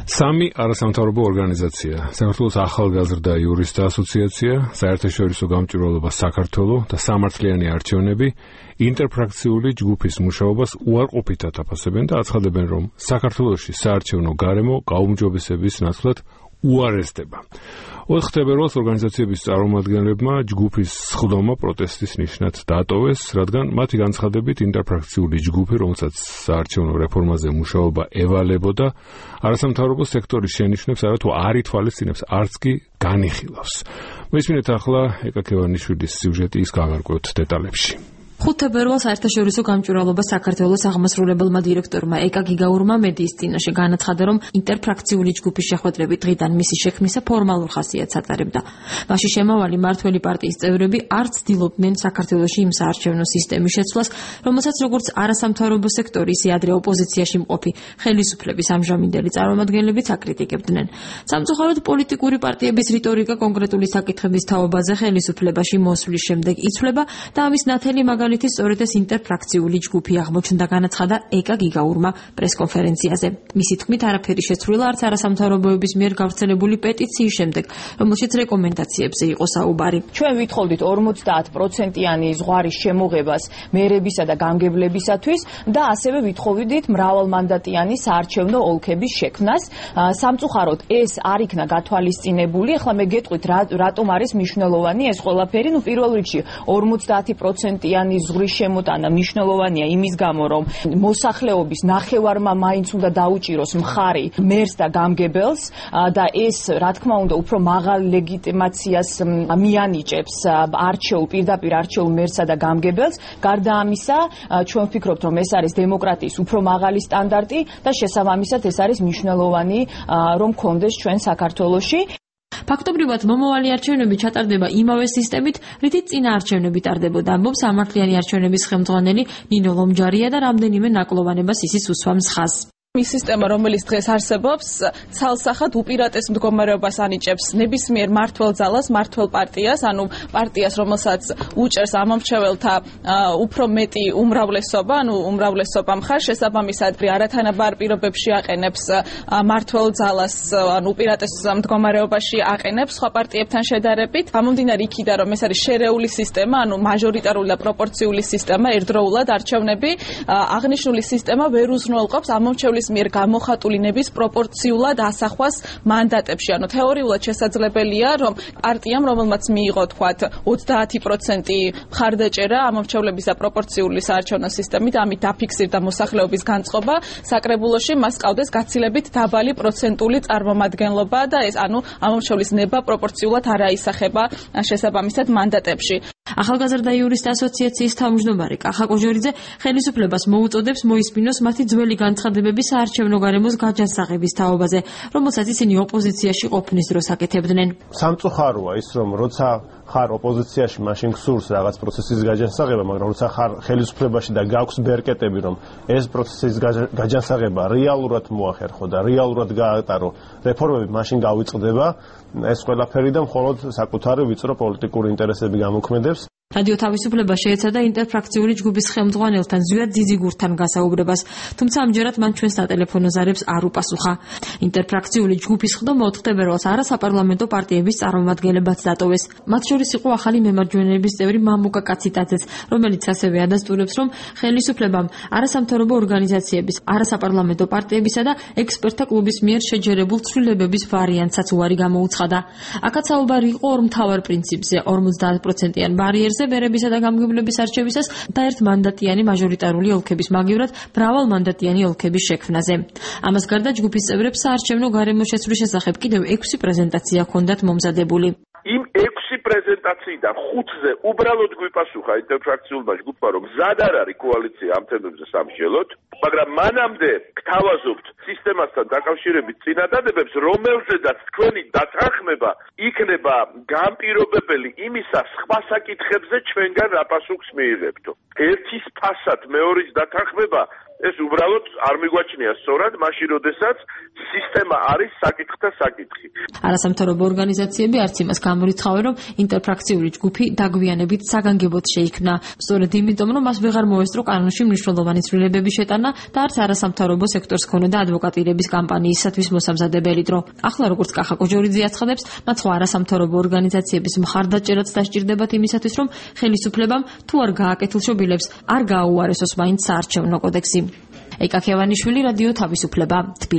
სამი არასამთავრობო ორგანიზაცია: საქართველოს ახალგაზრდა იურისტთა ასოციაცია, საერთაშორისო გამჭვირვალობა საქართველოს და სამართლიანი არჩევნები ინტერფრაქციული ჯგუფის მუშაობას უარყოფითად აფასებენ და აცხადებენ, რომ საქართველოში საარჩევნო გარემო გაუმჯობესების ნაცვლად უარესდება. 4 თებერვალს ორგანიზაციების წარმომადგენლებმა ჯგუფის სხდომა პროტესტის ნიშნად დაატოვეს, რადგან მათი განცხადებით ინტერფრაქციული ჯგუფი, რომელსაც საარჩევნო რეფორმაზე მუშაობა ევალებოდა, არასამთავრობო სექტორის შენიშვნებს არათუ არ ითვალისწინებს, არც კი განიხილავს. მოისმინეთ ახლა ეკა ქევანიშვილის სიუჟეტი, ის გავარკვევთ დეტალებში. 5 თებერვალს საერთაშორისო გამჭვირვალობა საქართველოს აღმასრულებელმა დირექტორმა ეკა გიგაურმა მედიის წინაშე განაცხადა, რომ ინტერფრაქციული ჯგუფის შეხვედრები დღიდან მისი შექმნისა ფორმალურ ხასიათს ატარებდა. მასში შემავალი მართველი პარტიის წევრები არ ცდილობდნენ საქართველოში იმ საარჩევნო სისტემის შეცვლას, რომელსაც როგორც არასამთავრობო სექტორი, ისე ადრე ოპოზიციაში მყოფი ხელისუფლების ამჟამინდელი წარმომადგენლებიც აკრიტიკებდნენ. სამწუხაროდ პოლიტიკური პარტიების რიტორიკა კონკრეტული საკითხების თაობაზე ხელისუფლებაში მოსვლის შემდეგ იცვლება და ამის ნათელი სწორედ ეს ინტერფრაქციული ჯგუფი აღმოჩნდა, განაცხადა ეკა გიგაურმა პრესკონფერენციაზე. მისი თქმით, არაფერი შეცვლილა არც არასამთავრობოების მიერ გავრცელებული პეტიციის შემდეგ, რომელშიც რეკომენდაციებზე იყო საუბარი. ჩვენ ვითხოვდით 50%-იანი ზღვარის შემოღებას მერებისა და გამგებლებისათვის და ასევე ვითხოვდით მრავალმანდატიანი საარჩევნო ოლქების შექმნას. სამწუხაროდ ეს არ იქნა გათვალისწინებული. ახლა მე გეტყვით, რატომ არის მნიშვნელოვანი ეს ყველაფერი. პირველ რიგში 50%-იანი ზღვრის შემოტანა მნიშვნელოვანია იმის გამო, რომ მოსახლეობის ნახევარმა მაინც უნდა დაუჭიროს მხარი მერს და გამგებელს და ეს, რა თქმა უნდა, უფრო მაღალ ლეგიტიმაციას მიანიჭებს პირდაპირ არჩეულ მერსსა და გამგებელს. გარდა ამისა, ჩვენ ვფიქრობთ, რომ ეს არის დემოკრატიის უფრო მაღალი სტანდარტი და შესაბამისად ეს არის მნიშვნელოვანი, რომ გქონდეს ჩვენ საქართველოში. ფაქტობრივად მომავალი არჩევნები ჩატარდება იმავე სისტემით, რითიც წინა არჩევნები ტარდებოდა, ამბობს სამართლიანი არჩევნების ხელმძღვანელი ნინო ლომჯარია და რამდენიმე ნაკლოვანებას ისიც უსვამს ხაზს. ის სისტემა, რომელიც დღეს არსებობს, ცალსახად უპირატეს მდგომარეობას ანიჭებს ნებისმიერ მმართველ ძალას, მმართველ პარტიას, ანუ პარტიას, რომელსაც უჭერს ამომრჩეველთა უფრო მეტი უმრავლესობა, ანუ უმრავლესობა მხარს, შესაბამისად არათანაბარ პირობებში აყენებს მმართველ ძალას, ანუ უპირატეს მდგომარეობაში აყენებს სხვა პარტიებთან შედარებით. გამომდინარე იქიდან, რომ ეს არის შერეული სისტემა, ანუ მაჟორიტარული და პროპორციული სისტემა, ერთდროულად არჩევნები, აღნიშნული სისტემა ვერ უზრუნველყოფს ამომრჩევლის მიერ გამოხატული ნების პროპორციულად ასახვას მანდატებში. ანუ თეორიულად შესაძლებელია, რომ პარტიამ, რომელმაც მიიღო თქვათ 30% მხარდაჭერა ამომრჩევლების და პროპორციული საარჩევნო სისტემით, ამით დაფიქსირდა მოსახლეობის განწყობა საკრებულოში, მას ყავდეს გაცილებით დაბალი პროცენტული წარმომადგენლობა და ეს, ანუ ამომრჩევლის ნება პროპორციულად არ აისახება შესაბამისად მანდატებში. ახალგაზრდა იურისტთა ასოციაციის თავმჯდომარე კახა კოჟორიძე ხელისუფლებას მოუწოდებს მოისმინოს მათი ძველი განცხადებები საარჩევნო გარემოს გაჯანსაღების თაობაზე, რომელსაც ისინი ოპოზიციაში ყოფნის დროს აკეთებდნენ. სამწუხაროა ის, რომ როცა ხარ ოპოზიციაში, მაშინ გსურს რაღაც პროცესის გაჯანსაღება, მაგრამ როცა ხარ ხელისუფლებაში და გაქვს ბერკეტები, რომ ეს პროცესის გაჯანსაღება რეალურად მოახერხო და რეალურად გაატარო რეფორმები, მაშინ გავიწყდება ეს ყველაფერი და მხოლოდ საკუთარი ვიწრო პოლიტიკური ინტერესები გამოქმედებს. რადიო თავისუფლება შეეცადა ინტერფრაქციული ჯგუფის ხელმძღვანელთან ზვიად ძიძიგურთან გასაუბრებას, თუმცა ამჯერად მან ჩვენს სატელეფონო ზარებს არ უპასუხა. ინტერფრაქციული ჯგუფის სხდომა 4 თებერვალს არასაპარლამენტო პარტიების წარმომადგენლებაც დატოვეს. მათ შორის იყო ახალი მემარჯვენეების წევრი მამუკა კაციტაძეც, რომელიც ასევე ადასტურებს, რომ ხელისუფლებამ არასამთავრობო ორგანიზაციების, არასაპარლამენტო პარტიებისა და ექსპერტთა კლუბის მიერ შეჯერებულ ცვლილებების ვარიანტსაც უარი გამოუცხადა. აქაც საუბარი იყო ორ მთავარ პრინციპზე: 50%-იან ბარიერზე მერებისა და გამგებლების არჩევისას და ერთმანდატიანი მაჟორიტარული ოლქების მაგივრად მრავალმანდატიანი ოლქების შექმნაზე. ამას გარდა ჯგუფის წევრებს საარჩევნო გარემოს შეცვლის შესახებ კიდევ 6 პრეზენტაცია ჰქონდათ მომზადებული. იმ 6 პრეზენტაციიდან 5-ზე უბრალოდ გვიპასუხა ინტერფრაქციულმა ჯგუფმა, რომ მზად არ არის კოალიცია ამ თემებზე სამშელოდ, მაგრამ მანამდე გთავაზობთ სისტემასთან დაკავშირებით წინადადებებს, რომელზედაც თქვენი დათანხმება იქნება განპირობებელი იმისა, სხვა საკითხებზე ჩვენგან რა პასუხს მიიღებთო. ერთის ფასად მეორის დათანხმება ეს უბრალოდ არ მიგვაჩნია სწორად, მაშინ როდესაც სისტემა არის საკითხთა საკითხი. არასამთავრობო ორგანიზაციები არც იმას გამორიცხავენ, რომ ინტერფრაქციული ჯგუფი დაგვიანებით საგანგებოდ შეიქმნა. სწორედ იმიტომ, რომ მას ვეღარ მოესწრო კანონში მნიშვნელოვანი ცვლილებების შეტანა და არც არასამთავრობო სექტორს ჰქონოდა ადვოკატირების კამპანიისათვის მოსამზადებელი დრო. ახლა როგორც კახა კოჯორიძე აცხადებს, მათ სხვა არასამთავრობო ორგანიზაციების მხარდაჭერაც დასჭირდებათ იმისათვის, რომ ხელისუფლებამ თუ არ გააკეთილ შობილებს, არ გააუარესოს მაინც საარჩევნო კოდექსი. ეკა ქევანიშვილი, რადიო თავისუფლება, თბილისი.